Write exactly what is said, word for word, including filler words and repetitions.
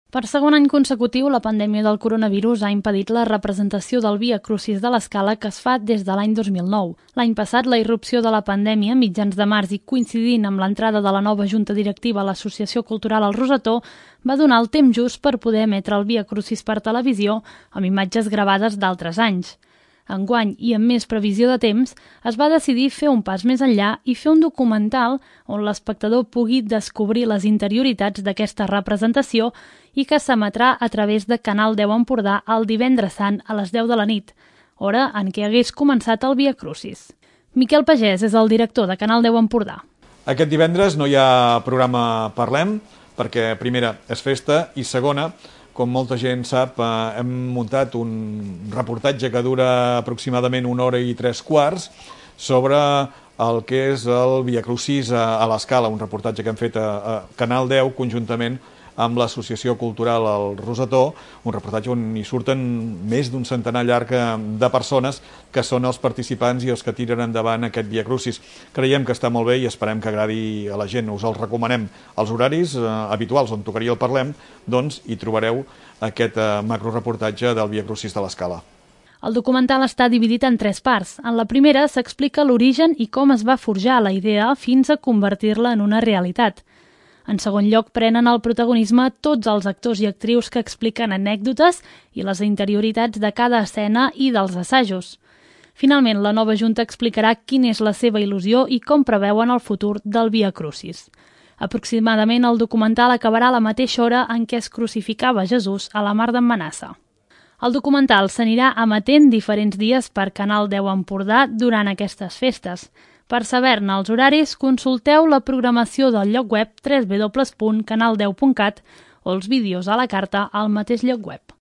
Per segon any consecutiu, la pandèmia del coronavirus ha impedit la representació del Via Crucis de l'Escala que es fa des de l'any dos mil nou. L'any passat, la irrupció de la pandèmia, mitjans de març i coincidint amb l'entrada de la nova junta directiva a l'Associació Cultural El Rosetó, va donar el temps just per poder emetre el Via Crucis per televisió amb imatges gravades d'altres anys. Enguany, i amb més previsió de temps, es va decidir fer un pas més enllà i fer un documental on l'espectador pugui descobrir les interioritats d'aquesta representació i que s'emetrà a través de Canal deu Empordà el divendres sant a les deu de la nit, hora en què hagués començat el Via Crucis. Miquel Pagès és el director de Canal deu Empordà. Aquest divendres no hi ha programa Parlem, perquè primera és festa i segona, com molta gent sap, hem muntat un reportatge que dura aproximadament una hora i tres quarts sobre el que és el Via Crucis a l'Escala, un reportatge que hem fet a Canal deu conjuntament amb l'Associació Cultural El Rosetó, un reportatge on hi surten més d'un centenar llarg de persones que són els participants i els que tiren endavant aquest Via Crucis. Creiem que està molt bé i esperem que agradi a la gent. Us el recomanem. Els horaris eh, habituals on tocaria el Parlem, doncs hi trobareu aquest eh, macroreportatge del Via Crucis de l'Escala. El documental està dividit en tres parts. En la primera s'explica l'origen i com es va forjar la idea fins a convertir-la en una realitat. En segon lloc, prenen el protagonisme tots els actors i actrius que expliquen anècdotes i les interioritats de cada escena i dels assajos. Finalment, la nova junta explicarà quina és la seva il·lusió i com preveuen el futur del Via Crucis. Aproximadament el documental acabarà a la mateixa hora en què es crucificava Jesús a la Mar d'en Manassa. El documental s'anirà emetent diferents dies per Canal deu Empordà durant aquestes festes. Per saber-ne els horaris, consulteu la programació del lloc web w w w punt canal deu punt cat o els vídeos a la carta al mateix lloc web.